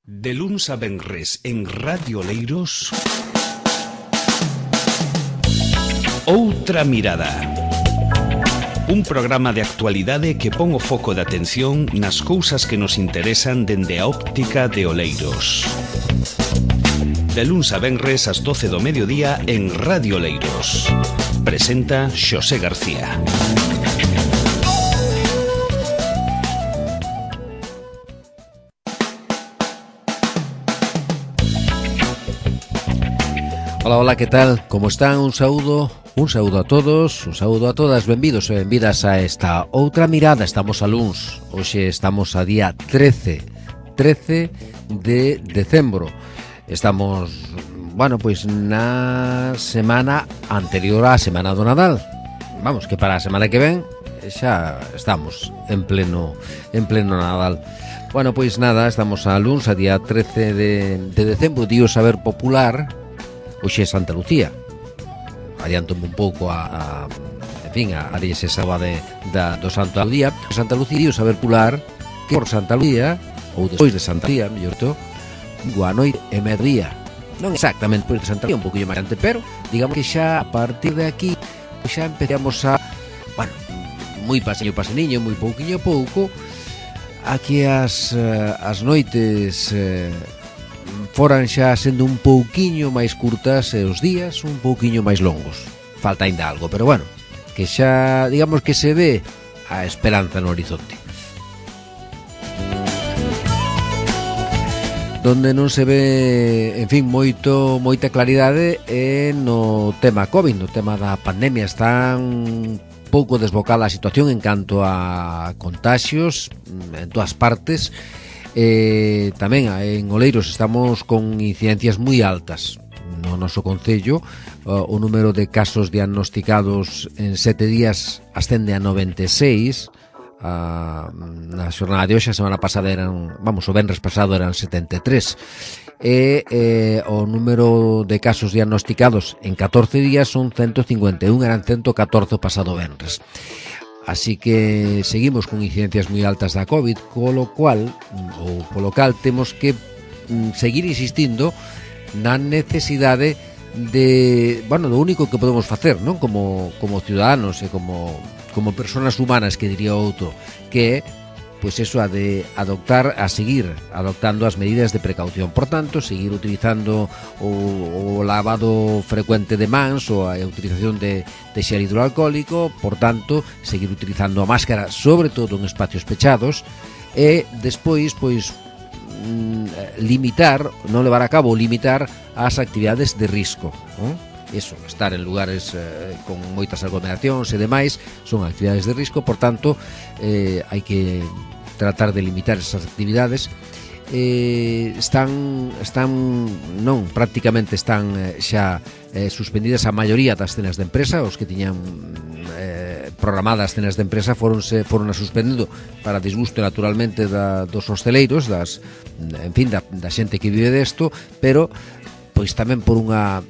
De luns a venres en Radio Oleiros, Outra Mirada. Un programa de actualidade que pon o foco de atención nas cousas que nos interesan dende a óptica de Oleiros. De luns a venres ás 12 do mediodía en Radio Oleiros. Presenta Xosé García. Hola, hola, ¿qué tal? ¿Cómo están? Un saúdo a todos, un saúdo a todas, benvidos e benvidas a esta Outra Mirada. Estamos a luns, hoxe estamos a día 13 de decembro. Estamos, pois na semana anterior á semana do Nadal. Vamos, que para a semana que ven xa estamos en pleno Nadal. Bueno, pois nada, estamos a luns, a día 13 de decembro, Día do Saber Popular. Hoxe é Santa Lucía. Adiántome un pouco a día esa do Santo Día. Santa Lucía, Día do Saber Popular, que por Santa Lucía, ou despois de Santa Lucía, mellor to, a noite e mediodía. Non exactamente por de Santa Lucía, un pouquinho máis antes, pero digamos que xa a partir de aquí xa empezamos a, moi paseniño, moi pouquiño a pouco, aquí as noites foran xa sendo un pouquiño máis curtas e os días un pouquiño máis longos. Falta ainda algo, pero bueno, que xa, digamos que se ve a esperanza no horizonte. Donde non se ve, en fin, moita claridade é no tema COVID, no tema da pandemia. Está un pouco desbocada a situación en canto a contaxios en todas partes. Tamén en Oleiros estamos con incidencias moi altas no noso concello. O número de casos diagnosticados en 7 días ascende a 96. Na xornada de hoxe, a semana pasada o venres pasado eran 73. O número de casos diagnosticados en 14 días son 151, eran 114 o pasado venres. Así que seguimos con incidencias moi altas da COVID, polo cal temos que seguir insistindo na necesidade do único que podemos facer, non? Como ciudadanos e como persoas humanas, que diría outro, que é pois eso, a seguir adoptando as medidas de precaución. Por tanto, seguir utilizando o lavado frecuente de mans ou a utilización de xel hidroalcohólico. Por tanto, seguir utilizando a máscara, sobre todo en espacios pechados, e despois, limitar as actividades de risco, Eso, estar en lugares con moitas aglomeracións e demais son actividades de risco. Por tanto, hai que tratar de limitar esas actividades. Prácticamente están xa suspendidas a maioría das cenas de empresa. Os que tiñan programadas cenas de empresa foron a suspendendo para disgusto naturalmente dos hosteleiros, da xente que vive desto, pero pois tamén por unha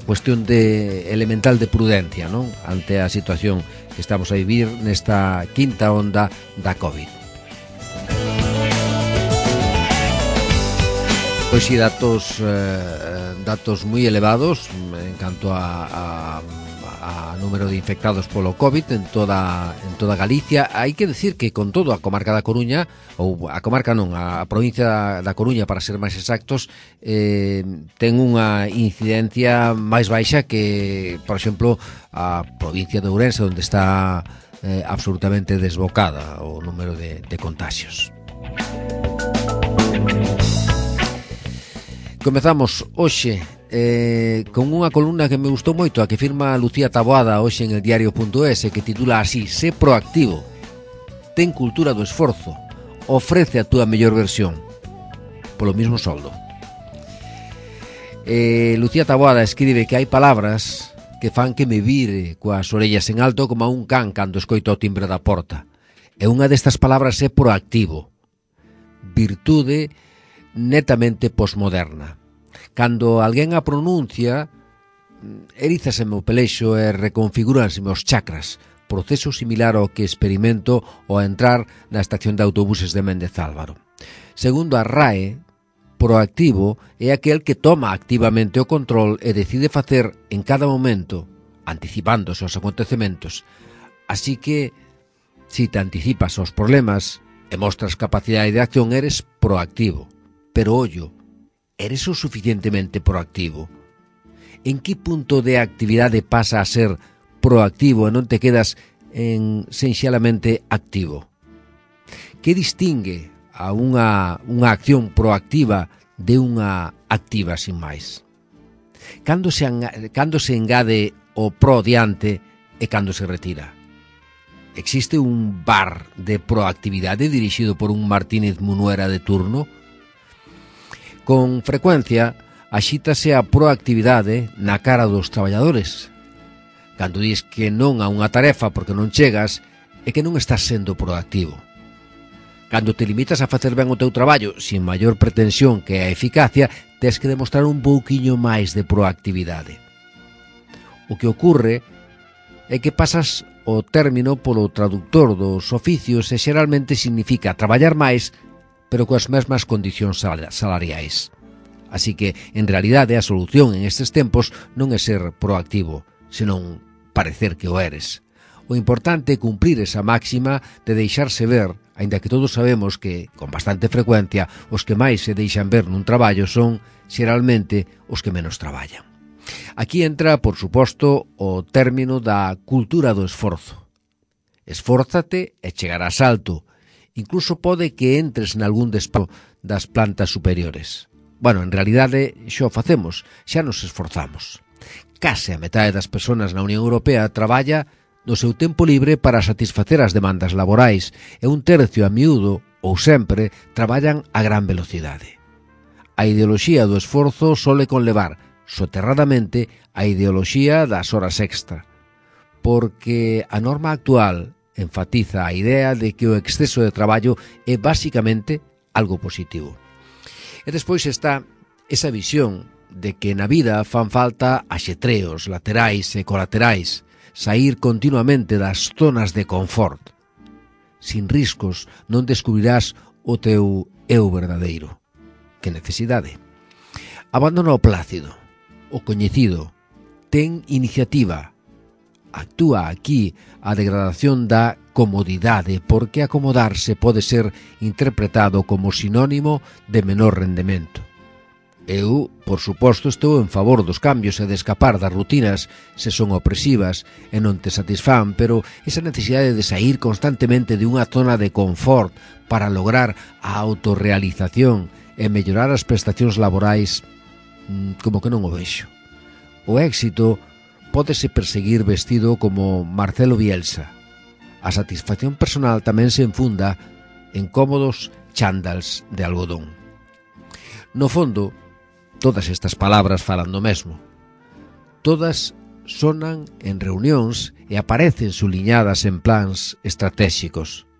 cuestión elemental de prudencia, non? Ante a situación que estamos a vivir nesta quinta onda da COVID. Pois si, datos moi elevados en canto a número de infectados polo COVID en toda Galicia. Hai que decir que con todo a comarca da Coruña, a provincia da Coruña, para ser máis exactos, ten unha incidencia máis baixa que, por exemplo, a provincia de Ourense, onde está absolutamente desbocada o número de contagios. Comezamos hoxe con unha columna que me gustou moito, a que firma Lucía Taboada hoxe en el diario.es, que titula así: Sé proactivo, ten cultura do esforzo, ofrece a túa mellor versión polo mismo soldo. Lucía Taboada escribe que hai palabras que fan que me vire coas orellas en alto como a un can cando escoito o timbre da porta, e unha destas palabras é proactivo, virtude netamente posmoderna. Cando alguén a pronuncia, erízaseme o pelexo e reconfigúranseme os chakras, proceso similar ao que experimento ao entrar na estación de autobuses de Méndez Álvaro. Segundo a RAE, proactivo é aquel que toma activamente o control e decide facer en cada momento, anticipándose aos acontecementos. Así que, si te anticipas aos problemas e mostras capacidade de acción, eres proactivo. Pero, ollo, eres o suficientemente proactivo? En que punto de actividade pasa a ser proactivo e non te quedas en sinxelamente activo? Que distingue a unha acción proactiva de unha activa sin máis? Cando se engade o pro diante e cando se retira? Existe un bar de proactividade dirixido por un Martínez Munuera de turno? Con frecuencia, axítase a proactividade na cara dos traballadores. Cando dis que non a unha tarefa porque non chegas, é que non estás sendo proactivo. Cando te limitas a facer ben o teu traballo sin maior pretensión que a eficacia, tes que demostrar un pouquiño máis de proactividade. O que ocurre é que pasas o término polo traductor dos oficios e xeralmente significa traballar máis, pero coas mesmas condicións salariais. Así que, en realidade, a solución en estes tempos non é ser proactivo, senón parecer que o eres. O importante é cumprir esa máxima de deixarse ver, aínda que todos sabemos que, con bastante frecuencia, os que máis se deixan ver nun traballo son, xeralmente, os que menos traballan. Aquí entra, por suposto, o término da cultura do esforzo. Esfórzate e chegarás alto. Incluso pode que entres nalgún despacho das plantas superiores. Bueno, en realidade xa o facemos, xa nos esforzamos. Case a metade das persoas na Unión Europea traballa no seu tempo libre para satisfacer as demandas laborais e un tercio a miúdo, ou sempre, traballan a gran velocidade. A ideoloxía do esforzo sole conlevar, soterradamente, a ideoloxía das horas extra, porque a norma actual enfatiza a idea de que o exceso de traballo é basicamente algo positivo. E despois está esa visión de que na vida fan falta axetreos laterais e colaterais, saír continuamente das zonas de confort. Sin riscos non descubrirás o teu eu verdadeiro. Que necesidade? Abandona o plácido, o coñecido, ten iniciativa. Actúa aquí a degradación da comodidade, porque acomodarse pode ser interpretado como sinónimo de menor rendemento. Eu, por suposto, estou en favor dos cambios e de escapar das rutinas se son opresivas e non te satisfán, pero esa necesidade de sair constantemente de unha zona de confort para lograr a autorrealización e mellorar as prestacións laborais, como que non o vexo. O éxito pódese perseguir vestido como Marcelo Bielsa. A satisfacción personal tamén se enfunda en cómodos chándals de algodón. No fondo, todas estas palabras falan do mesmo. Todas sonan en reunións e aparecen suliñadas en plans estratégicos.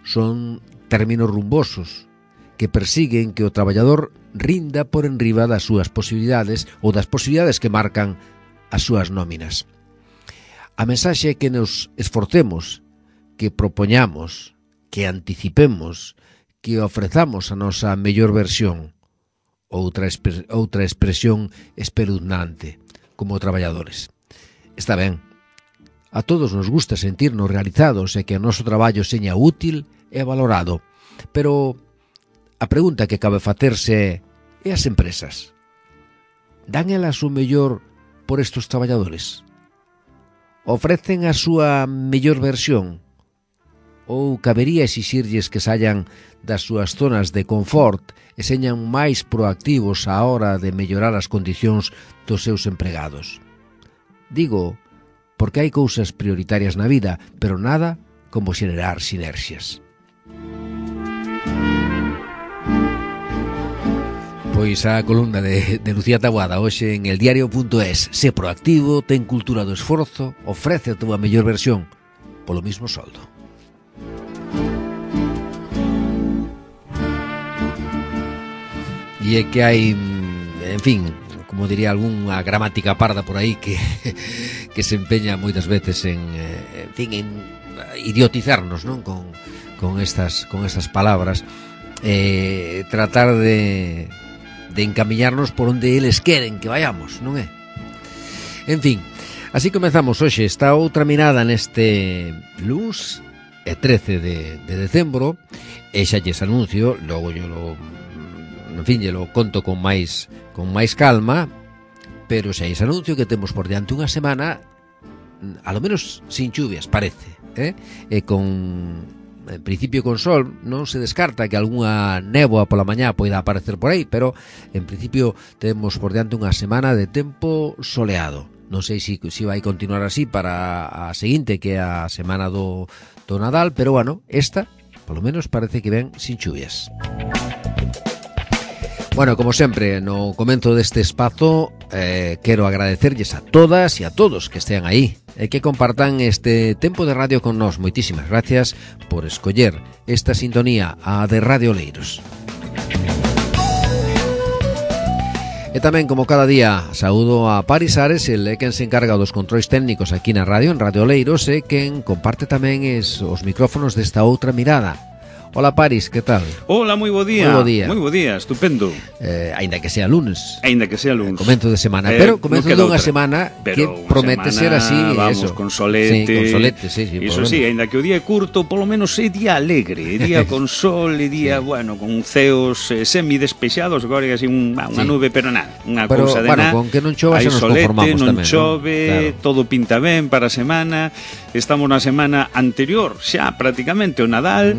Son términos rumbosos que persiguen que o traballador rinda por enriba das súas posibilidades ou das posibilidades que marcan as súas nóminas. A mensaxe é que nos esforcemos, que propoñamos, que anticipemos, que ofrezamos a nosa mellor versión, outra expresión espeluznante, como traballadores. Está ben, a todos nos gusta sentirnos realizados e que o noso traballo seña útil e valorado, pero a pregunta que cabe facerse é as empresas. Dan elas o mellor por estes traballadores? Ofrecen a súa mellor versión? Ou cabería exixirlles que saian das súas zonas de confort e señan máis proactivos á hora de mellorar as condicións dos seus empregados? Digo, porque hai cousas prioritarias na vida, pero nada como xenerar sinerxias. Pois a columna de Lucía Taboada hoxe en eldiario.es. Sé proactivo, ten cultura do esforzo, ofrece a túa mellor versión polo mismo soldo. E é que hai, en fin, como diría algunha gramática parda por aí que se empeña moitas veces en idiotizarnos, non? Con estas palabras. tratar de encamiñarnos por onde eles queren que vayamos, non é? En fin, así comezamos hoxe esta outra mirada neste luns 13 de decembro, e xa lles anuncio, logo yo lo conto con máis calma, pero xa lles anuncio que temos por diante unha semana a lo menos sin chuvias, parece, e con en principio con sol. Non se descarta que algunha néboa pola mañá poida aparecer por aí, pero en principio temos por diante unha semana de tempo soleado. Non sei se vai continuar así para a seguinte, que é a semana do Nadal, pero bueno, esta polo menos parece que ven sin chuvias. Bueno, como sempre, no comezo deste espazo quero agradecerlles a todas e a todos que estean aí e que compartan este tempo de radio con nós. Moitísimas gracias por escoller esta sintonía, a de Radio Oleiros. E tamén, como cada día, saúdo a Paris Ares, el é quen se encarga dos controis técnicos aquí na radio, en Radio Oleiros, e quen comparte tamén os micrófonos desta outra mirada. Hola Paris, que tal? Hola, moi bo día. Moi bo día, estupendo. Aínda que sea lunes. Comenzo de semana, pero comenzo dunha semana que promete ser así, vamos, eso. Con solete. Sí, con solete, sí. Iso sí, aínda que o día é curto, polo menos é día alegre, é día con sol, é día, bueno, con ceos semidespexados, agora é así unha nube, pero nada, unha cousa de nada. Con que non chova xa nos conformamos non tamén. Chove, claro. Todo pinta ben para a semana. Estamos na semana anterior, xa prácticamente o Nadal.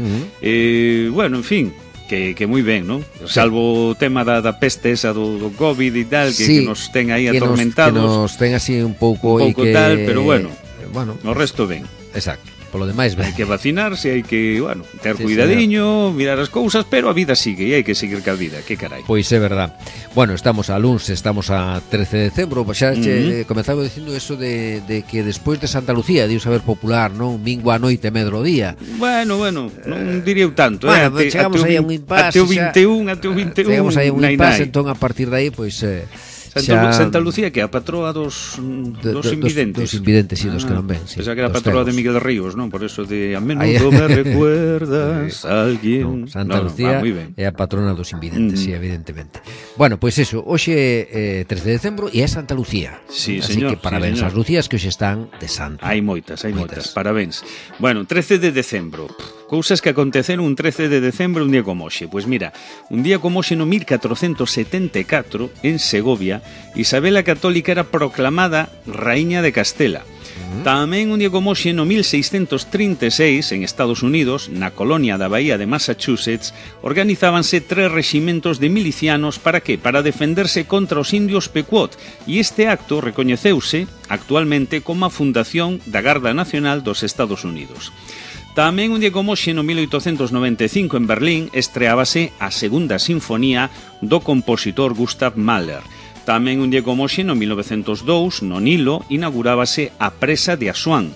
Bueno, en fin, que moi ben, non? Salvo o tema da peste esa do COVID e tal, que nos ten aí atormentados. Que nos ten así un pouco tal, pero bueno, o resto ben. Exacto. Polo demais ben. Hai que vacinarse, hai que, bueno, ter cuidadiño, mirar as cousas, pero a vida sigue e hai que seguir ca vida, que carai. Pois é verdad. Bueno, estamos a luns, estamos a 13 de decembro, xa comezaba dicindo eso de que despois de Santa Lucía, diu saber popular, non? Mingo a noite, medro o día. Bueno, non diría tanto, chegamos aí a un impasse. Até o 21. Chegamos aí a un impasse, entón a partir de aí, pois... Santa Lucía, que é a patroa dos invidentes. Dos invidentes, sí, dos que non ven. Esa que era a patroa de Miguel Ríos, non? Por eso de a menudo me recuerdas a alguén. Santa Lucía é a patrona dos invidentes, sí, evidentemente. Bueno, pois eso, hoxe é 13 de decembro e é Santa Lucía. Sí, así señor. Que parabéns ás Lucías que hoxe están de santo. Hai moitas. Parabéns. Bueno, 13 de decembro. Cousas que aconteceron un 13 de decembro, un día como hoxe. Pois mira, un día como hoxe no 1474, en Segovia, Isabel a Católica era proclamada Raíña de Castela. Tamén un día como hoxe no 1636, en Estados Unidos, na colonia da Bahía de Massachusetts, organizábanse 3 reximentos de milicianos para que? Para defenderse contra os indios Pequot, e este acto recoñeceuse actualmente como a fundación da Garda Nacional dos Estados Unidos. Tamén un día como hoxe no 1895 en Berlín estreábase a segunda sinfonía do compositor Gustav Mahler. Tamén un día como hoxe no 1902 no Nilo inaugurábase a presa de Asuán.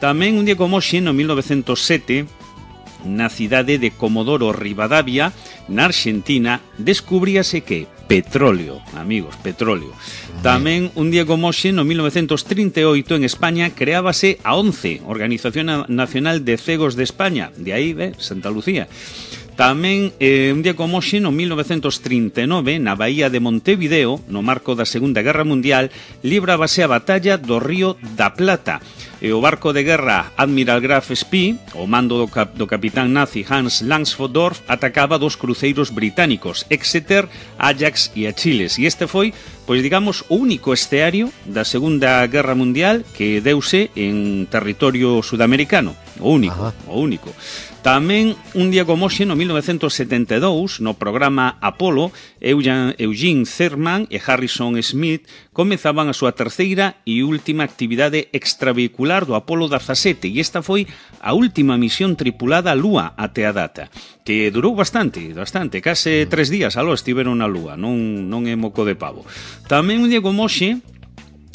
Tamén un día como hoxe no 1907 na cidade de Comodoro Rivadavia, na Argentina, descubríase que petróleo, amigos, petróleo. Tamén un día como hoxe, no 1938, en España, creábase a ONCE, Organización Nacional de Cegos de España, de aí, Santa Lucía. Tamén, un día como hoxe, no 1939, na Bahía de Montevideo, no marco da Segunda Guerra Mundial, librábase a batalla do Río da Plata. E o barco de guerra Admiral Graf Spee, o mando do capitán nazi Hans Langsfordorf, atacaba dos cruceiros británicos, Exeter, Ajax e Achilles. E este foi, pois digamos, o único esteario da Segunda Guerra Mundial que deuse en territorio sudamericano. O único. Tamén, un día como hoxe, no 1972, no programa Apollo, Eugene Cernan e Harrison Smith comezaban a súa terceira e última actividade extravehicular do Apollo 17, e esta foi a última misión tripulada á Lúa até a data, que durou bastante, case 3 días aló estiveron na Lúa, non é moco de pavo. Tamén, un día como hoxe,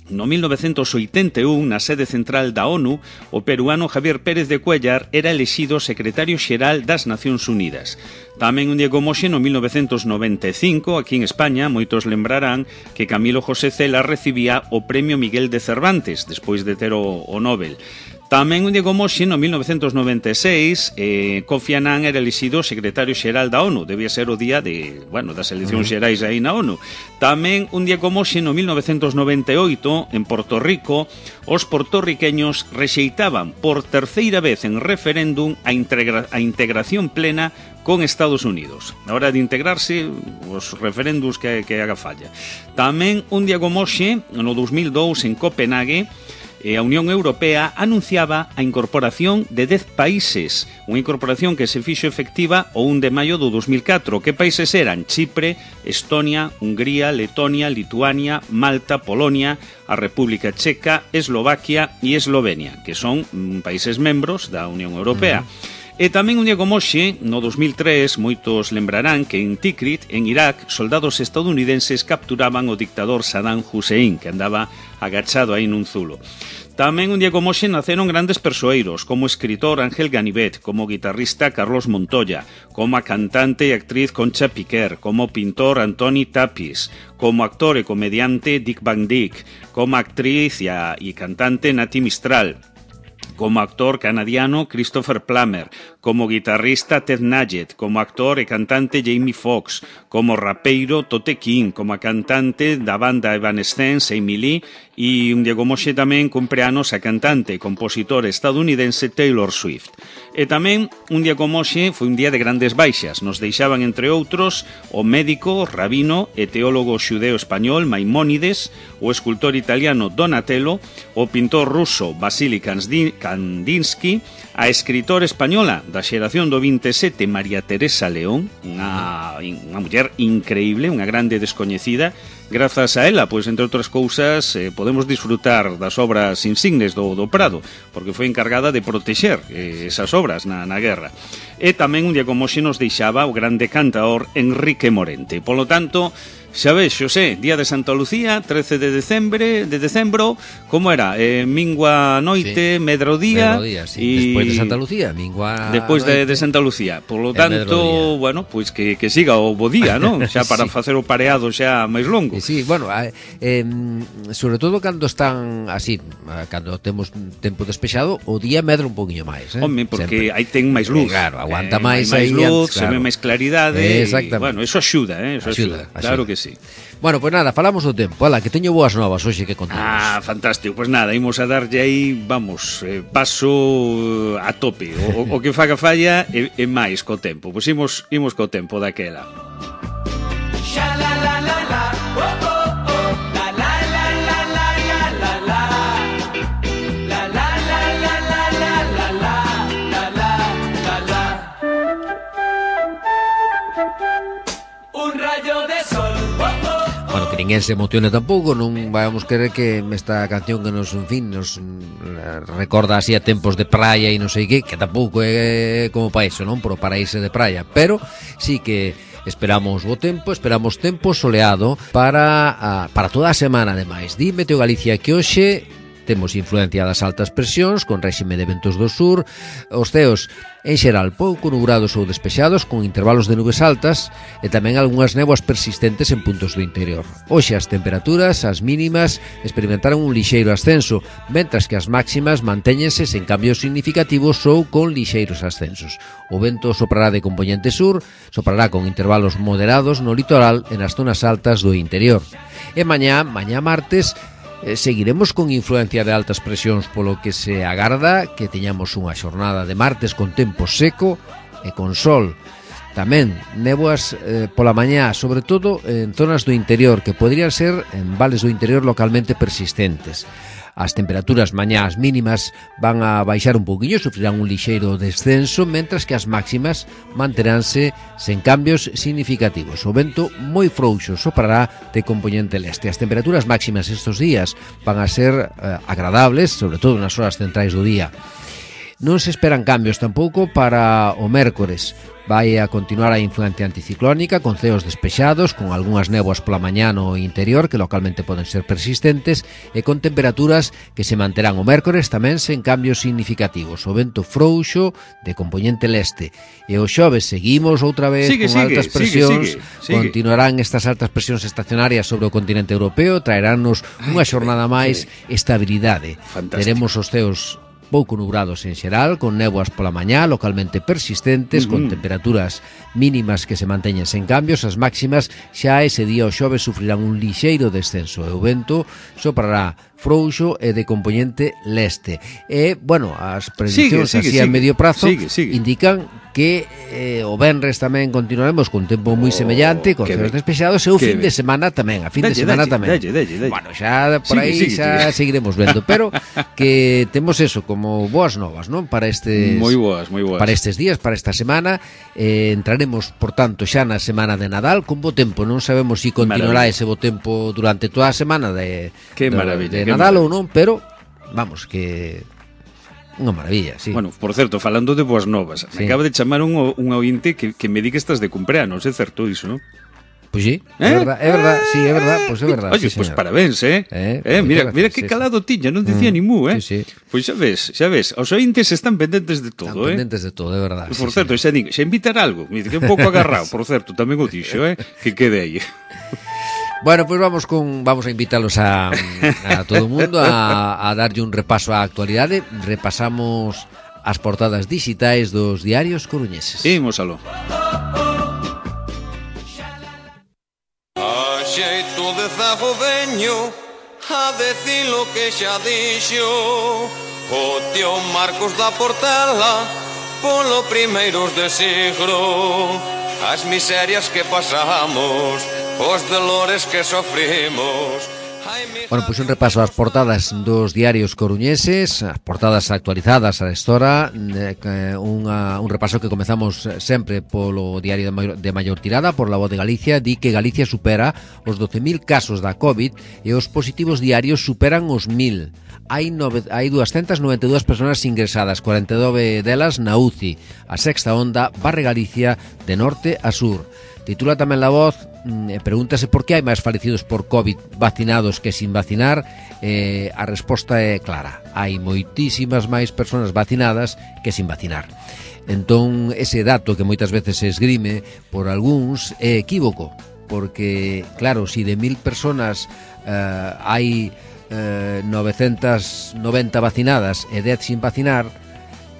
no 1981, na sede central da ONU, o peruano Javier Pérez de Cuéllar era elexido secretario xeral das Nacións Unidas. Tamén un día como hoxe, no 1995, aquí en España, moitos lembrarán que Camilo José Cela recibía o Premio Miguel de Cervantes, despois de ter o Nobel. Tamén un día como hoxe, no 1996, Kofi Annan era elixido secretario xeral da ONU. Debía ser o día das eleccións xerais aí na ONU. Tamén un día como hoxe, no 1998, en Porto Rico, os portorriqueños rexeitaban por terceira vez en referéndum a integración plena con Estados Unidos. Na hora de integrarse, os referéndums que haga falla. Tamén un día como hoxe, no 2002, en Copenhague, a Unión Europea anunciaba a incorporación de 10 países, unha incorporación que se fixo efectiva o 1 de maio do 2004. Que países eran? Chipre, Estonia, Hungría, Letonia, Lituania, Malta, Polonia, a República Checa, Eslovaquia e Eslovenia, que son países membros da Unión Europea. E tamén un día como hoxe, no 2003, moitos lembrarán que en Tikrit, en Irak, soldados estadounidenses capturaban o dictador Saddam Hussein, que andaba agachado aí nun zulo. Tamén un día como hoxe naceron grandes persoeiros, como o escritor Ángel Ganivet, como o guitarrista Carlos Montoya, como a cantante e actriz Concha Piquer, como o pintor Antoni Tapis, como actor e comediante Dick Van Dyke, como actriz e cantante Nati Mistral, como actor canadiano Christopher Plummer, como guitarrista Ted Nugent, como actor e cantante Jamie Foxx, como rapeiro Tote King, como a cantante da banda Evanescence Amy Lee, e un día como hoxe tamén cumpre anos a cantante e compositora estadounidense Taylor Swift. E tamén un día como hoxe foi un día de grandes baixas. Nos deixaban, entre outros, o médico, rabino e teólogo xudeo español Maimónides, o escultor italiano Donatello, o pintor ruso Vasily Kandinsky, a escritora española da xeración do 27 María Teresa León, unha muller increíble, unha grande descoñecida. Grazas a ela, pois, entre outras cousas, podemos disfrutar das obras insignes do Prado, porque foi encargada de protexer esas obras na guerra. E tamén un día como hoxe nos deixaba o grande cantaor Enrique Morente. Polo tanto, xa ves, Xosé, día de Santa Lucía, 13 de decembro, como era? Mingua noite, sí. Medro día, sí. Despois de Santa Lucía, mingua despois de Santa Lucía. Polo tanto, bueno, pois que siga o bo día, non? Xa para sí. Facer o pareado xa máis longo. Sí, bueno, sobre todo cando están así, cando temos tempo despexado, o día medra un poquinho máis, Home, porque aí ten máis luz. Claro, aguanta máis aí luz, claro. Se ve máis claridade. Exactamente. Bueno, eso axuda, eso axuda. Claro que sí. Bueno, pues nada, falamos do tempo. Ala, que teño boas novas hoxe que contamos. Fantástico. Pues nada, imos a darlle aí, vamos, paso a tope. O que faga falla é máis co tempo. Pois imos co tempo daquela. Que ninguén se emocione tampouco, non vamos querer que esta canción que nos, en fin, nos recorda así a tempos de praia e non sei que tampouco é como para iso, non? Por o paraíso de praia, pero sí que esperamos bo tempo, esperamos tempo soleado para toda a semana, ademais. Di Meteo Galicia que hoxe temos influencia das altas presións con réxime de ventos do sur, os ceos en xeral pouco nubrados ou despexados con intervalos de nubes altas e tamén algunhas néboas persistentes en puntos do interior. Hoxe as temperaturas, as mínimas, experimentaron un lixeiro ascenso, mentras que as máximas mantéñense sen cambios significativos ou con lixeiros ascensos. O vento soprará de compoñente sur, soprará con intervalos moderados no litoral e nas zonas altas do interior. E mañá martes, seguiremos con influencia de altas presións, polo que se agarda que teñamos unha xornada de martes con tempo seco e con sol. Tamén néboas pola mañá, sobre todo en zonas do interior, que poderían ser en vales do interior localmente persistentes. As temperaturas mañás mínimas van a baixar un poquinho, sufrirán un lixeiro descenso, mentras que as máximas manteránse sen cambios significativos. O vento moi frouxo soprará de compoñente leste. As temperaturas máximas estes días van a ser agradables, sobre todo nas horas centrais do día. Non se esperan cambios tampouco para o mércores. Vai a continuar a influencia anticiclónica con ceos despexados, con algunhas néboas pola mañá no interior que localmente poden ser persistentes e con temperaturas que se manterán o mércores tamén sen cambios significativos. O vento frouxo de compoñente leste. E o xoves seguimos outra vez con altas presións. Continuarán estas altas presións estacionarias sobre o continente europeo, traeránnos unha xornada máis estabilidade. Fantástico. Teremos os ceos pouco nubrados en xeral, con néboas pola mañá, localmente persistentes, con temperaturas mínimas que se manteñen sen cambios. As máximas xa ese día o xoves sufrirán un lixeiro descenso e o vento soprará frouxo e de componente leste. E, bueno, as prediccións así a medio prazo indican que o venres tamén continuaremos con tempo moi semellante, con ceos despexados, e o fin de semana tamén, a fin de semana tamén. Bueno, xa por aí xa seguiremos vendo, pero que temos eso como boas novas, non? Para estes moi boas. Para estes días, para esta semana, entraremos, por tanto, xa na semana de Nadal con bo tempo. Non sabemos se continuará ese bo tempo durante toda a semana de Nadal ou non, pero vamos, que unha maravilla, sí. Bueno, por certo, falando de boas novas, me acaba de chamar un ointe que me di que estás de cumpleanos, é certo iso, non? Pois sí, é verdad, sí, é verdad, pois é verdad. Oye, pois parabéns, mira que calado tiña, non dicía ni mu, Sí. Pois xa ves, os ointes están pendentes de todo, pendentes de todo, é verdade. Por certo, xa invitar algo, me que un pouco agarrado, por certo, tamén o dixo, que quede aí. Bueno, pues vamos a invitarlos a todo o mundo a darlle un repaso á actualidade. Repasamos as portadas digitais dos diarios coruñeses. Imos aló. A xeito de zago veño a decir lo que xa dixo o tío Marcos da Portela polo primeiros de siglo. As miserias que pasamos, os dolores que sofrimos. Bueno, pois un repaso ás portadas dos diarios coruñeses, as portadas actualizadas a esta hora, un repaso que comezamos sempre polo diario de maior tirada, por La Voz de Galicia. Di que Galicia supera os 12.000 casos da COVID e os positivos diarios superan os 1.000. Hai 292 persoas ingresadas, 49 delas na UCI. A sexta onda barre Galicia de norte a sur. Titula tamén La Voz, pregúntase por que hai máis falecidos por COVID vacinados que sin vacinar. A resposta é clara: hai moitísimas máis persoas vacinadas que sin vacinar. Entón, ese dato que moitas veces se esgrime por algúns é equívoco, porque, claro, si de 1.000 persoas hai 990 vacinadas e 10 sin vacinar,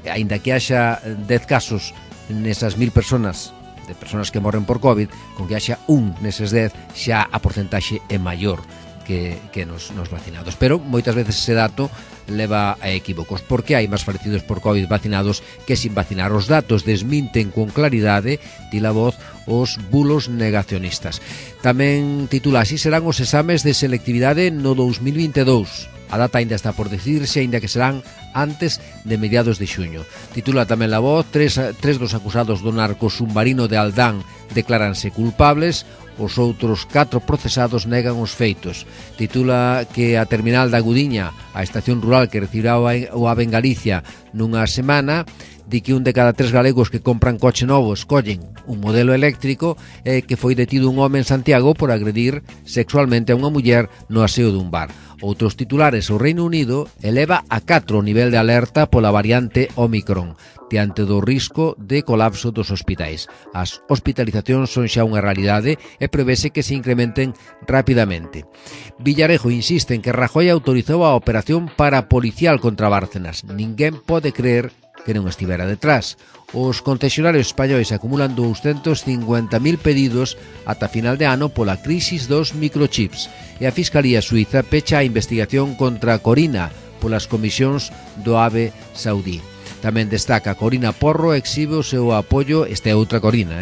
aínda que haxa 10 casos nesas 1.000 persoas, de persoas que morren por COVID, con que haxa un neses 10, xa a porcentaxe é maior que nos vacinados. Pero moitas veces ese dato leva a equívocos, porque hai máis falecidos por COVID vacinados que sin vacinar. Os datos desminten con claridade, di La Voz, os bulos negacionistas. Tamén titula: así serán os exames de selectividade no 2022. A data ainda está por decirse, ainda que serán antes de mediados de xuño. Titula tamén La Voz: tres dos acusados do narco submarino de Aldán decláranse culpables, os outros 4 procesados negan os feitos. Titula que a terminal da Gudiña, a estación rural que recibirá o AVE en Galicia nunha semana, di que un de cada 3 galegos que compran coche novo escollen un modelo eléctrico, e que foi detido un home en Santiago por agredir sexualmente a unha muller no aseo dun bar. Outros titulares: o Reino Unido eleva a 4 o nivel de alerta pola variante Omicron, diante do risco de colapso dos hospitais. As hospitalizacións son xa unha realidade e prevese que se incrementen rapidamente. Villarejo insiste en que Rajoy autorizou a operación parapolicial contra Bárcenas. Ninguén pode creer que non estivera detrás. Os concesionarios españois acumulan 250.000 pedidos ata final de ano pola crisis dos microchips, e a Fiscalía Suiza pecha a investigación contra Corina polas comisións do AVE saudí. Tamén destaca: Corina Porro exhibe o seu apoio. Esta é outra Corina,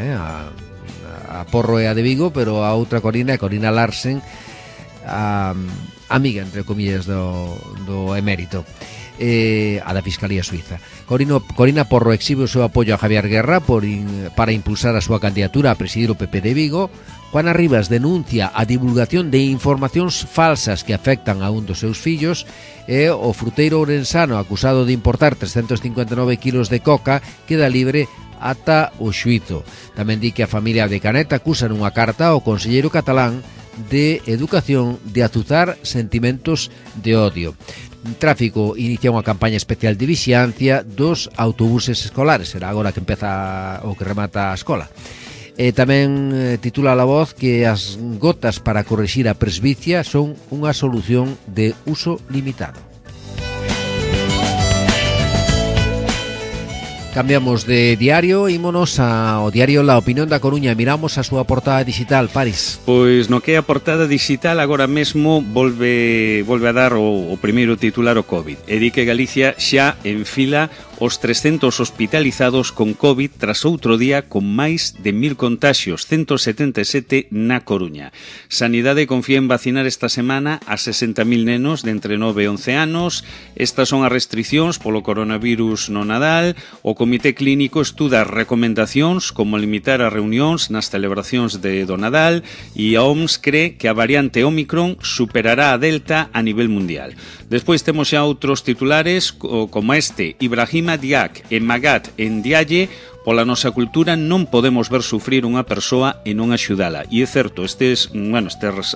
a Porro é a de Vigo, pero a outra Corina é Corina Larsen, a amiga, entre comillas, do emérito, a da Fiscalía Suiza. Corina Porro exhibe o seu apoio a Javier Guerra para impulsar a súa candidatura a presidir o PP de Vigo. Juana Rivas denuncia a divulgación de informacións falsas que afectan a un dos seus fillos, e o fruteiro ourensano acusado de importar 359 kilos de coca queda libre ata o xuízo. Tamén di que a familia de Canet acusa nunha carta ao conselleiro catalán de Educación de azuzar sentimentos de odio. Tráfico inicia unha campaña especial de vixiancia dos autobuses escolares. Será agora que empeza o que remata a escola. Tamén titula La Voz que as gotas para corrixir a presbicia son unha solución de uso limitado. Cambiamos de diario, ímonos ao diario La Opinión da Coruña. Miramos a súa portada digital, Paris. Pois no que é a portada digital agora mesmo volve a dar o primeiro titular o COVID. E di que Galicia xa enfila os 300 hospitalizados con COVID tras outro día con máis de 1000 contaxios, 177 na Coruña. Sanidade confía en vacinar esta semana a 60.000 nenos de entre 9 e 11 anos. Estas son as restriccións polo coronavirus no Nadal. O Comité Clínico estuda recomendacións como limitar as reunións nas celebracións do Nadal e a OMS cree que a variante Omicron superará a Delta a nivel mundial. Despois temos xa outros titulares como este: Ibrahima Diak e Magat en Dialle. Pola nosa cultura non podemos ver sufrir unha persoa e non axudala. E é certo, estes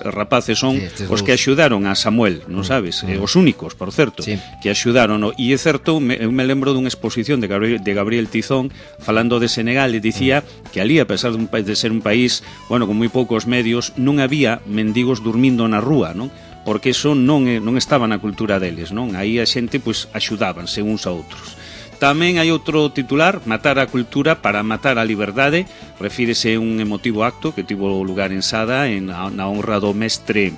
rapaces son os que axudaron a Samuel, non sabes? Os únicos, por certo, que axudaron. E é certo, eu me lembro dunha exposición de Gabriel Tizón falando de Senegal e dicía que ali, a pesar de ser un país con moi poucos medios, non había mendigos dormindo na rúa, non? Porque eso non estaba na cultura deles, non? Aí a xente axudábanse uns a outros. Tamén hai outro titular: matar a cultura para matar a liberdade. Refírese a un emotivo acto que tivo lugar en Sada na honra do mestre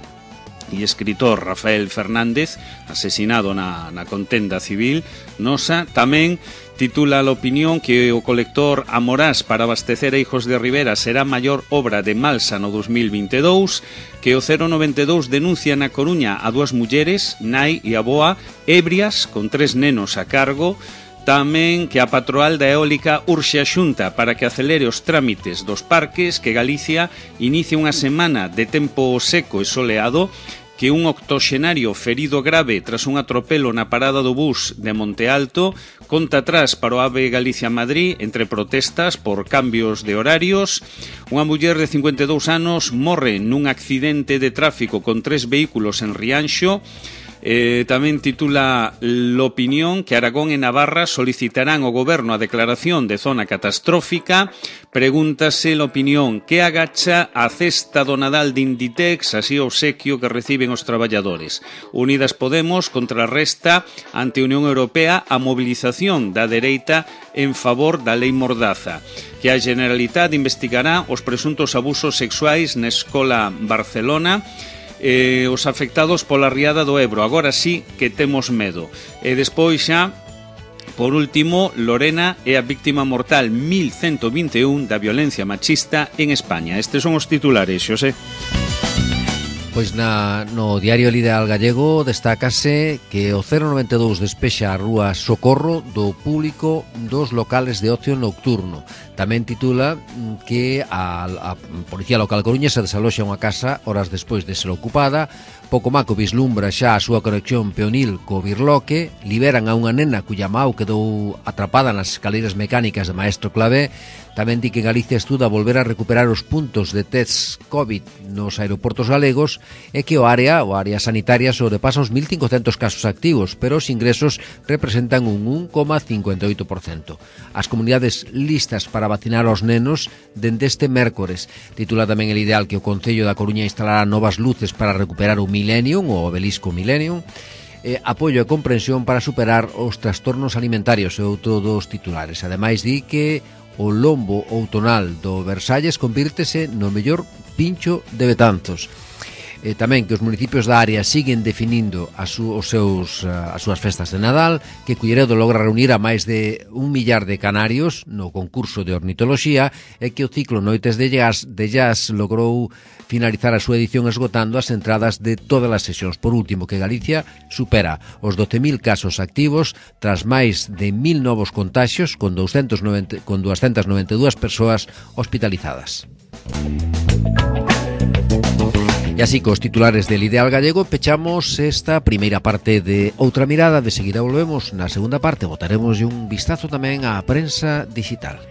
e escritor Rafael Fernández, asesinado na contenda civil nosa. Tamén titula a Opinión que o colector Amorás para abastecer a Hijos de Rivera será a maior obra de Malsa no 2022, que o 092 denuncia na Coruña a 2 mulleres, nai e aboa, ebrias con 3 nenos a cargo. Tamén que a Patroal da Eólica urxe a Xunta para que acelere os trámites dos parques, que Galicia inicia unha semana de tempo seco e soleado, que un octoxenario ferido grave tras un atropelo na parada do bus de Monte Alto, conta atrás para o AVE Galicia-Madrid entre protestas por cambios de horarios. Unha muller de 52 anos morre nun accidente de tráfico con 3 vehículos en Rianxo. Tamén titula L'Opinión que Aragón e Navarra solicitarán ao goberno a declaración de zona catastrófica. Pregúntase L'Opinión que agacha a cesta do Nadal de Inditex, así o obsequio que reciben os traballadores. Unidas Podemos contrarresta ante a Unión Europea a mobilización da dereita en favor da lei Mordaza. Que a Generalitat investigará os presuntos abusos sexuais na escola Barcelona. Os afectados pola riada do Ebro, agora sí que temos medo. E despois xa, por último, Lorena é a víctima mortal 1121 da violencia machista en España. Estes son os titulares, Xosé. Pois no diario El Ideal Gallego destácase que o 092 despexa a rúa Socorro do público dos locales de ocio nocturno. Tamén titula que a Policía Local Coruña se desaloxa unha casa horas despois de ser ocupada. Pocomaco vislumbra xa a súa conexión peonil co Birloque. Liberan a unha nena cuya mau quedou atrapada nas escaleiras mecánicas de Maestro Clavé. Tamén di que Galicia estuda volver a recuperar os puntos de test COVID nos aeroportos galegos e que o área sanitaria sobrepasa os 1.500 casos activos, pero os ingresos representan un 1,58%. As comunidades listas para vacinar aos nenos dende este mércores. Titula tamén El Ideal que o Concello da Coruña instalará novas luces para recuperar o Millennium, o obelisco Millennium. Apoio e comprensión para superar os trastornos alimentarios, é outro dos titulares. Ademais di que o lombo outonal do Versalles convírtese no mellor pincho de Betanzos. Tamén que os municipios da área siguen definindo as súas festas de Nadal, que Culleredo logra reunir a máis de 1 millar de canarios no concurso de ornitoloxía e que o ciclo Noites de Jazz logrou finalizar a súa edición esgotando as entradas de todas as sesións. Por último, que Galicia supera os 12.000 casos activos tras máis de 1.000 novos contaxios con 292 persoas hospitalizadas. E así, cos titulares del Ideal Gallego, pechamos esta primeira parte de Outra Mirada. De seguida volvemos na segunda parte, botaremos un vistazo tamén á prensa digital.